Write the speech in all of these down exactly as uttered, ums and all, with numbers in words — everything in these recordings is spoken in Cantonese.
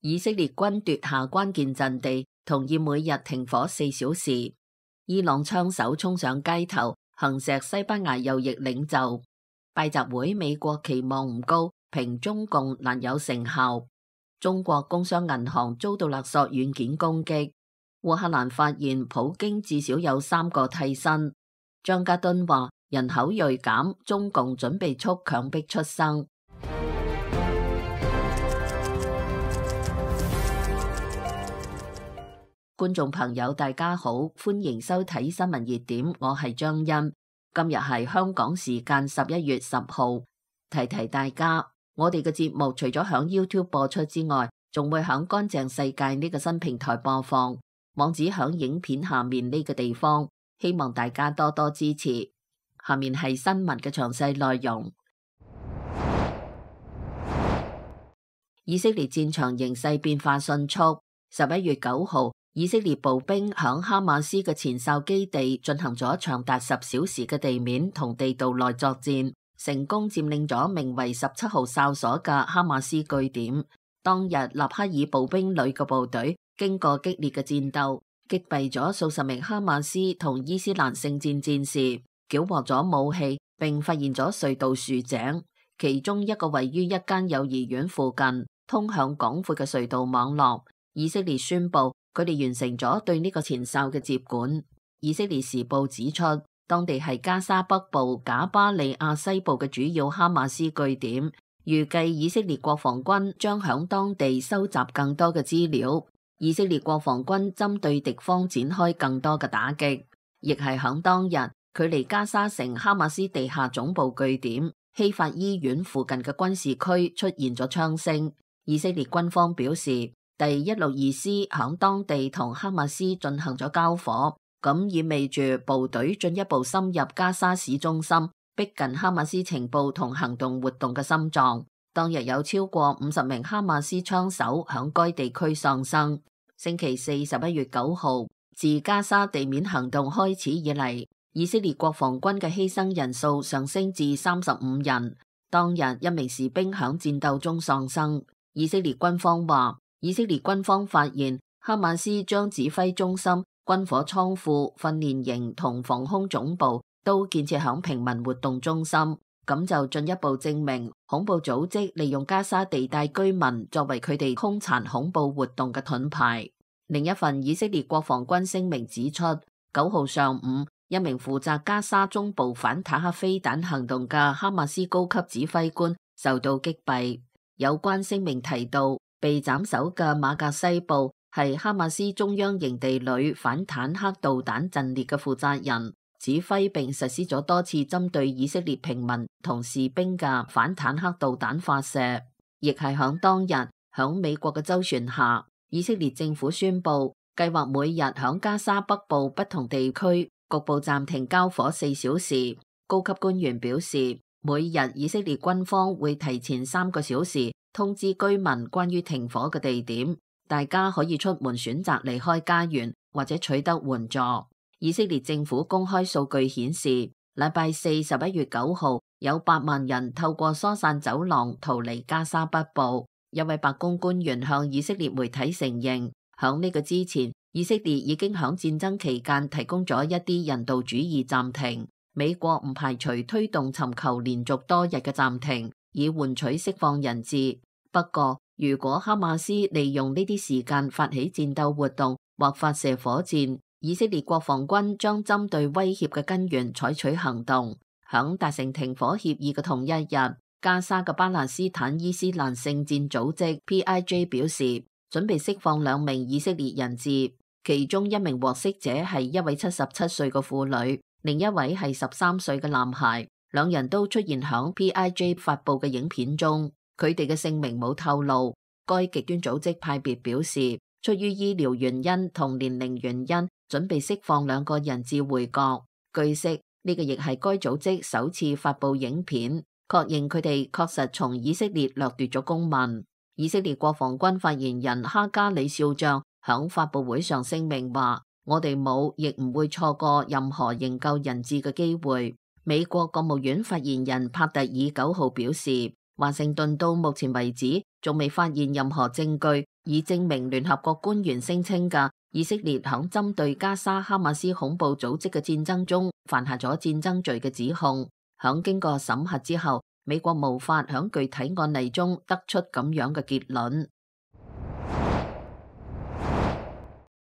以色列軍奪下關鍵陣地，同意每日停火四小時。伊朗槍手衝上街頭，行刺西班牙右翼領袖。拜習會美國期望唔高，評中共難有成效。中國工商銀行遭到勒索軟件攻擊。烏克蘭發現普京至少有三個替身。張家敦話人口銳減，中共準備促強迫出生。觀眾朋友大家好，歡迎收睇新聞熱點，我係張欣。今日係香港時間十一月十號，提提大家，我哋嘅節目除咗響 YouTube 播出之外，仲會響乾淨世界呢個新平台播放，網址響影片下面呢個地方，希望大家多多支持。下面係新聞嘅詳細內容。以色列戰場形勢變化迅速，十一月九號，以色列步兵響哈馬斯嘅前哨基地進行咗長達十小時嘅地面同地道內作戰，成功佔領咗名為十七號哨所嘅哈馬斯據點。當日納哈爾步兵旅嘅部隊經過激烈嘅戰鬥，擊斃咗數十名哈馬斯同伊斯蘭聖戰戰士，繳獲咗武器，並發現咗隧道豎井，其中一個位於一間幼兒園附近，通向廣闊嘅隧道網絡。以色列宣布佢哋完成咗對呢個前哨嘅接管。以色列時報指出，當地係加沙北部賈巴利亞西部嘅主要哈馬斯據點，預計以色列國防軍將響當地收集更多嘅資料。以色列國防軍針對敵方展開更多嘅打擊，亦係響當日距離加沙城哈馬斯地下總部據點希法醫院附近嘅軍事區出現咗槍聲。以色列軍方表示，第一六二師響當地同哈馬斯進行咗交火，咁意味住部隊進一步深入加沙市中心，逼近哈馬斯情報同行動活動嘅心臟。當日有超過五十名哈馬斯槍手響該地區喪生。星期四十一月九號，自加沙地面行動開始以嚟，以色列國防軍嘅犧牲人數上升至三十五人。當日一名士兵響戰鬥中喪生。以色列軍方話，以色列軍方發現哈馬斯將指揮中心、軍火倉庫、訓練營同防空總部都建設響平民活動中心，咁就進一步證明恐怖組織利用加沙地帶居民作為佢哋兇殘恐怖活動嘅盾牌。另一份以色列國防軍聲明指出，九號上午，一名負責加沙中部反坦克飛彈行動嘅哈馬斯高級指揮官受到擊斃。有關聲明提到，被斬首嘅馬格西布係哈馬斯中央營地裏反坦克導彈陣列嘅負責人，指揮並實施咗多次針對以色列平民同士兵嘅反坦克導彈發射。亦係響當日，響美國嘅周旋下，以色列政府宣布計劃每日響加沙北部不同地區局部暫停交火四小時。高級官員表示，每日以色列軍方會提前三個小時通知居民關於停火嘅地點，大家可以出門選擇離開家園或者取得援助。以色列政府公開數據顯示，禮拜四十一月九號有八萬人透過疏散走廊逃離加沙北部。一位白宮官員向以色列媒體承認，響呢個之前，以色列已經響戰爭期間提供咗一啲人道主義暫停。美國唔排除推動尋求連續多日嘅暫停，以換取釋放人質。不過，如果哈馬斯利用呢啲時間發起戰鬥活動或發射火箭，以色列國防軍將針對威脅嘅根源採取行動。響達成停火協議嘅同一日，加沙嘅巴勒斯坦伊斯蘭聖戰組織 P I J 表示，準備釋放兩名以色列人質，其中一名獲釋者係一位七十七歲嘅婦女，另一位係十三歲嘅男孩，兩人都出現響 P I J 發佈嘅影片中，佢哋嘅姓名冇透露。該極端組織派別表示，出於醫療原因同年齡原因，準備釋放兩個人質回國。據悉，呢個亦係該組織首次發佈影片，確認佢哋確實從以色列掠奪咗公民。以色列國防軍發言人哈加里少將響發佈會上聲明話，我哋冇亦唔會錯過任何營救人質嘅機會。美國國務院發言人帕特爾九號表示，華盛頓到目前為止仲未發現任何證據以證明聯合國官員聲稱嘅以色列響針對加沙哈馬斯恐怖組織嘅戰爭中犯下咗戰爭罪嘅指控。響經過審核之後，美國無法響具體案例中得出咁樣嘅結論。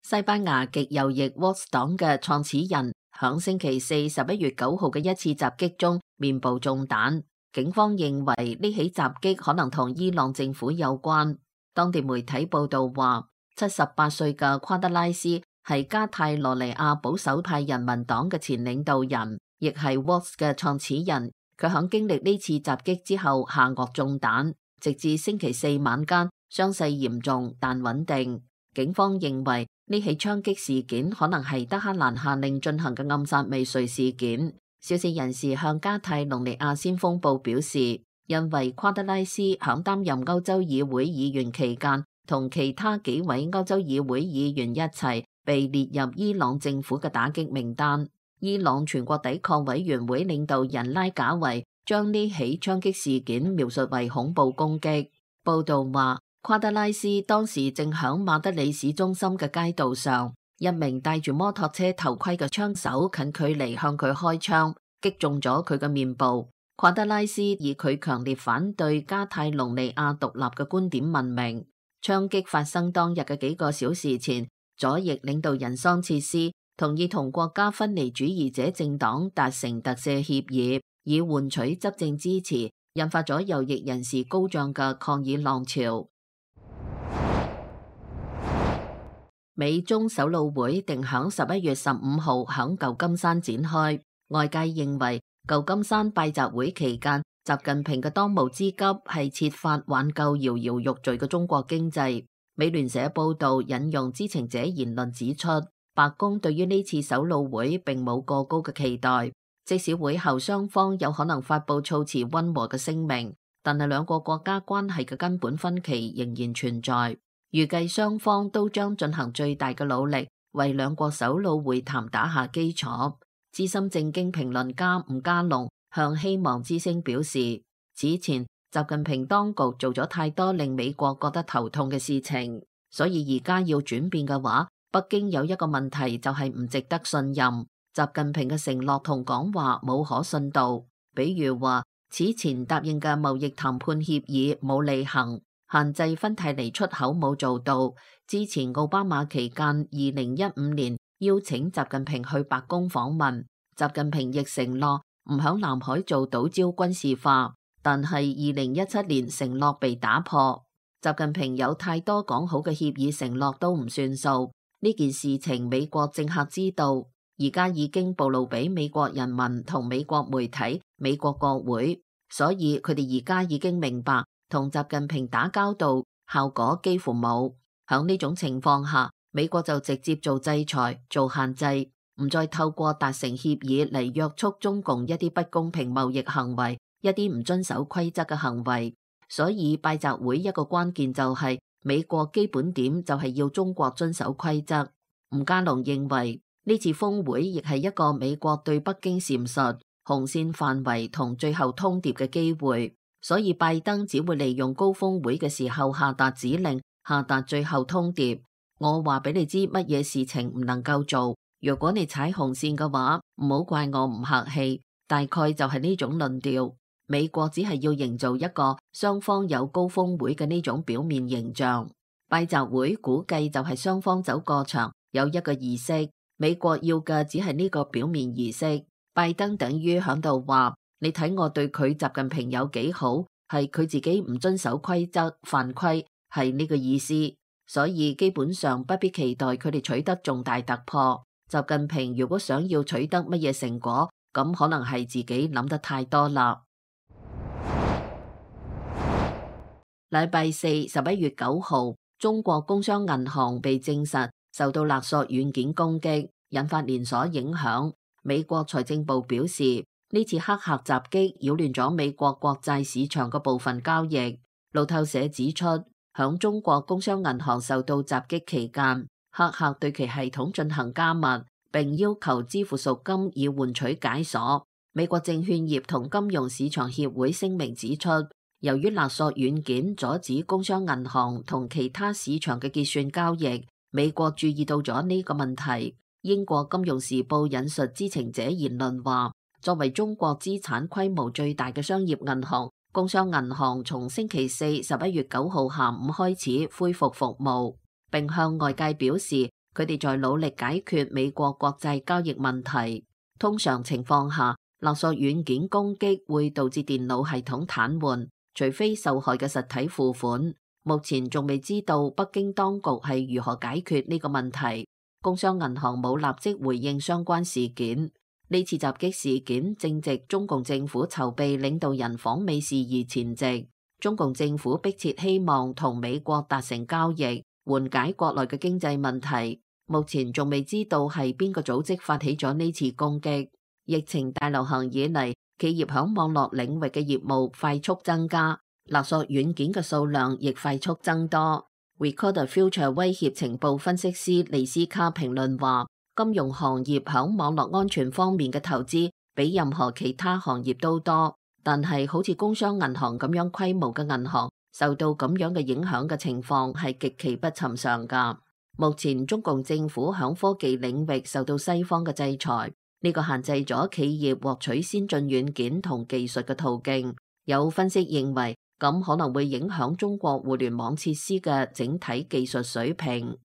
西班牙極右翼 Vox 黨嘅創始人響星期四十一月九號嘅一次襲擊中面部中彈，警方認為呢起襲擊可能同伊朗政府有關。當地媒體報道話，七十八歲嘅夸德拉斯係加泰羅尼亞保守派人民黨嘅前領導人，亦係 Vox 嘅創始人。佢響經歷呢次襲擊之後下顎中彈，直至星期四晚間傷勢嚴重但穩定。警方認為呢起槍擊事件可能係德黑蘭下令進行嘅暗殺未遂事件。消息人士向加泰隆尼亞先鋒報表示，因為夸德拉斯響擔任歐洲議會議員期間，同其他幾位歐洲議會議員一齊被列入伊朗政府嘅打擊名單。伊朗全國抵抗委員會領導人拉賈維將呢起槍擊事件描述為恐怖攻擊。報道話，夸德拉斯當時正響馬德里市中心嘅街道上，一名戴住摩托車頭盔嘅槍手近距離向佢開槍，擊中咗佢嘅面部。夸德拉斯以佢強烈反對加泰隆尼亞獨立嘅觀點聞名。槍擊發生當日嘅幾個小時前，左翼領導人桑切斯同意同國家分離主義者政黨達成特赦協議，以換取執政支持，引發咗右翼人士高漲嘅抗議浪潮。美中首腦會定響十一月十五號響舊金山展開，外界認為舊金山拜習會期間，習近平嘅當務之急係設法挽救搖搖欲墜嘅中國經濟。美聯社報道引用知情者言論指出，白宮對於呢次首腦會並冇過高嘅期待，即使會後雙方有可能發佈措辭溫和嘅聲明，但係兩個國家關係嘅根本分歧仍然存在。預計雙方都將進行最大嘅努力，為兩國首腦會談打下基礎。資深政經評論家吳家龍向希望之聲表示，此前習近平當局做咗太多令美國覺得頭痛嘅事情，所以而家要轉變嘅話，北京有一個問題就係唔值得信任。習近平嘅承諾同講話冇可信度，比如話此前答應嘅貿易談判協議冇履行，限制芬太尼出口冇做到。之前奧巴馬期間二零一五年邀請習近平去白宮訪問，習近平亦承諾唔響南海做島礁軍事化，但係二零一七年承諾被打破。習近平有太多講好嘅協議承諾都唔算數，呢件事情美國政客知道，而家已經暴露俾美國人民同美國媒體、美國國會，所以佢哋而家已經明白同習近平打交道效果幾乎冇。響呢種情況下，美國就直接做制裁、做限制，唔再透過達成協議嚟約束中共一啲不公平貿易行為、一啲唔遵守規則嘅行為。所以拜習會一個關鍵就係美國基本點就係要中國遵守規則。吳家龍認為呢次峰會亦係一個美國對北京闡述紅線範圍同最後通牒嘅機會，所以拜登只會利用高峰會嘅時候下達指令，下達最後通牒。我話俾你知乜嘢事情唔能夠做，如果你踩紅線嘅話，唔好怪我唔客氣。大概就係呢種論調。美國只係要營造一個雙方有高峰會嘅呢種表面形象。拜習會估計就係雙方走過場，有一個儀式。美國要嘅只係呢個表面儀式。拜登等於響度話，你睇我對佢習近平有幾好，係佢自己唔遵守規則犯規，係呢個意思。所以基本上不必期待佢哋取得重大突破。習近平如果想要取得乜嘢成果，咁可能係自己諗得太多啦。禮拜四十一月九號，中國工商銀行被證實受到勒索軟件攻擊，引發連鎖影響。美國財政部表示，呢次黑客襲擊擾亂咗美國國債市場嘅部分交易。路透社指出，響中國工商銀行受到襲擊期間，黑客對其系統進行加密，並要求支付贖金以換取解鎖。美國證券業同金融市場協會聲明指出，由於勒索軟件阻止工商銀行同其他市場嘅結算交易，美國注意到咗呢個問題。英國金融時報引述知情者言論話，作為中國資產規模最大嘅商業銀行，工商銀行從星期四十一月九號下午開始恢復服務，並向外界表示佢哋在努力解決美國國際交易問題。通常情況下，勒索軟件攻擊會導致電腦系統癱瘓，除非受害嘅實體付款。目前仲未知道北京當局係如何解決呢個問題。工商銀行冇立即回應相關事件。呢次襲擊事件正值中共政府籌備領導人訪美事宜前夕，中共政府迫切希望同美國達成交易，緩解國內嘅經濟問題。目前仲未知道係邊個組織發起咗呢次攻擊。疫情大流行以嚟，企業響網絡領域嘅業務快速增加，勒索軟件嘅數量亦快速增多。Recall the Future 威脅情報分析師利斯卡評論話，金融行業響網絡安全方面嘅投資比任何其他行業都多，但係好似工商銀行咁樣規模嘅銀行受到咁樣嘅影響嘅情況係極其不尋常㗎。目前中共政府響科技領域受到西方嘅制裁，呢個限制咗企業獲取先進軟件同技術嘅途徑。有分析認為，咁可能會影響中國互聯網設施嘅整體技術水平。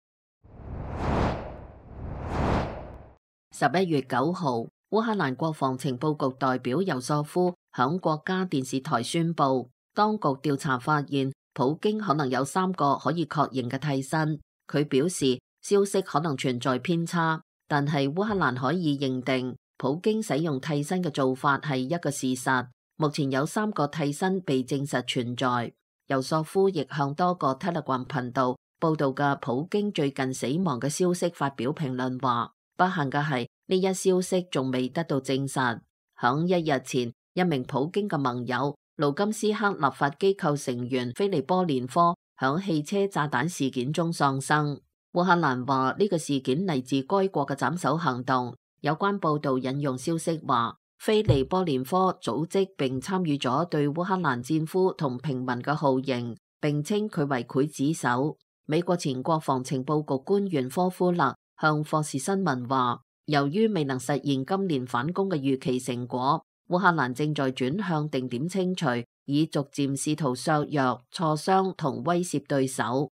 十一月九號，烏克蘭國防情報局代表尤索夫響國家電視台宣布，當局調查發現普京可能有三個可以確認嘅替身。佢表示，消息可能存在偏差，但係烏克蘭可以認定普京使用替身嘅做法係一個事實。目前有三個替身被證實存在。尤索夫亦向多個 Telegram 頻道報道嘅普京最近死亡嘅消息發表評論話，不幸嘅係呢一消息仲未得到證實。響一日前，一名普京嘅盟友盧金斯克立法機構成員菲利波連科響汽車炸彈事件中喪生。烏克蘭話呢個事件嚟自該國嘅斬首行動。有關報道引用消息話，菲利波連科組織並參與咗對烏克蘭戰俘同平民嘅酷刑，並稱佢為劊子手。美國前國防情報局官員科夫勒向霍士新聞話，由於未能實現今年反攻嘅預期成果，烏克蘭正在轉向定點清除，以逐漸試圖削弱、挫傷同威懾對手。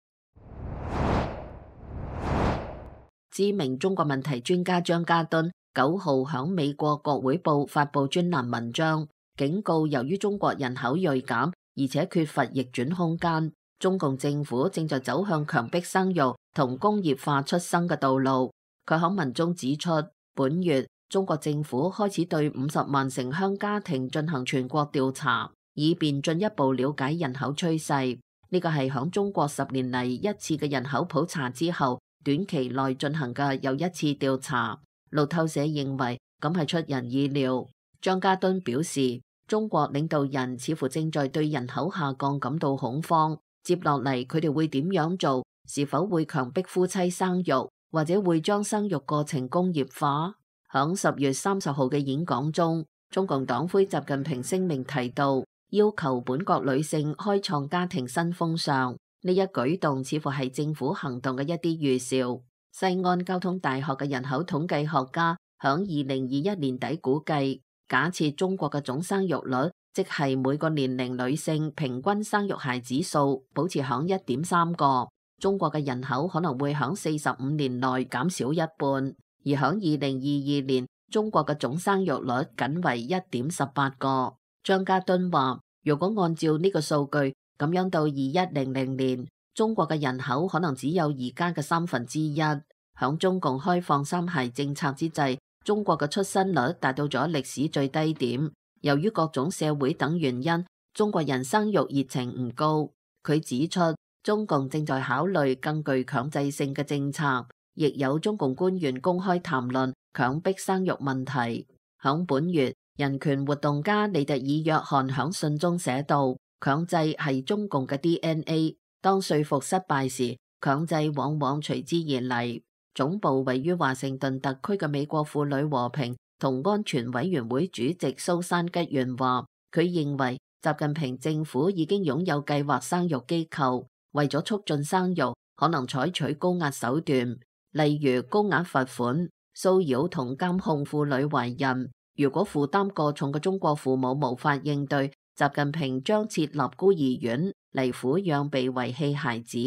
知名中國問題專家張家敦九號響美國國會報發佈專欄文章，警告由於中國人口銳減，而且缺乏逆轉空間，中共政府正在走向強迫生育同工業化出生嘅道路。佢響文中指出，本月中國政府開始對五十萬城鄉家庭進行全國調查，以便進一步了解人口趨勢。呢個係響中國十年嚟一次嘅人口普查之後，短期內進行嘅又一次調查。路透社認為咁係出人意料。張家敦表示，中國領導人似乎正在對人口下降感到恐慌。接落嚟佢哋會點樣做？是否會強迫夫妻生育，或者會將生育過程工業化？響十月三十號嘅演講中，中共黨魁習近平聲明提到，要求本國女性開創家庭新風尚。呢一舉動似乎係政府行動嘅一啲預兆。西安交通大學嘅人口統計學家響二零二一年底估計，假設中國嘅總生育率，即係每個年齡女性平均生育孩子數保持響一點三個，中國嘅人口可能會響四十五年內減少一半。而響二零二二年，中國嘅總生育率僅為一點十八個。張家敦話，如果按照呢個數據，咁樣到二一零零年，中國嘅人口可能只有而家嘅三分之一。響中共開放三孩政策之際，中國嘅出生率達到咗歷史最低點。由於各種社會等原因，中國人生育熱情唔高。佢指出，中共正在考慮更具強制性嘅政策，亦有中共官員公開談論強迫生育問題。響本月，人權活動家利特爾約翰響信中寫道，強制係中共嘅 D N A， 當說服失敗時，強制往往隨之而嚟。總部位於華盛頓特區嘅美國婦女和平同安全委員會主席蘇珊吉元話，佢認為習近平政府已經擁有計劃生育機構，為咗促進生育，可能採取高壓手段，例如高額罰款、騷擾同監控婦女懷孕。如果負擔過重嘅中國父母無法應對，習近平將設立孤兒院嚟撫養被遺棄孩子。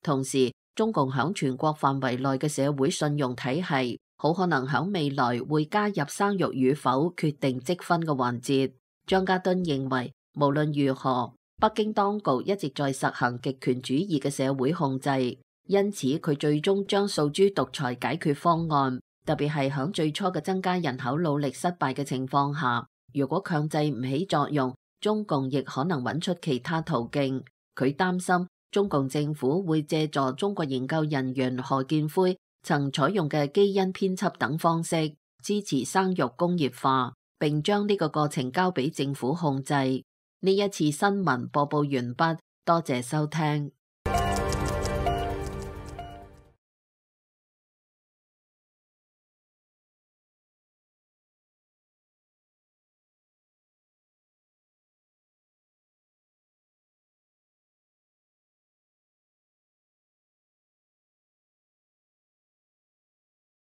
同時，中共響全國範圍內嘅社會信用體系，好可能響未來會加入生育與否決定積分嘅環節。張家敦認為，無論如何，北京當局一直在實行極權主義嘅社會控制，因此佢最終將訴諸獨裁解決方案，特別係響最初嘅增加人口努力失敗嘅情況下，如果強制唔起作用，中共亦可能揾出其他途徑。佢擔心中共政府會借助中國研究人員何建輝曾採用嘅基因編輯等方式，支持生育工業化，並將呢個過程交俾政府控制。呢一次新聞播報完畢，多謝收聽。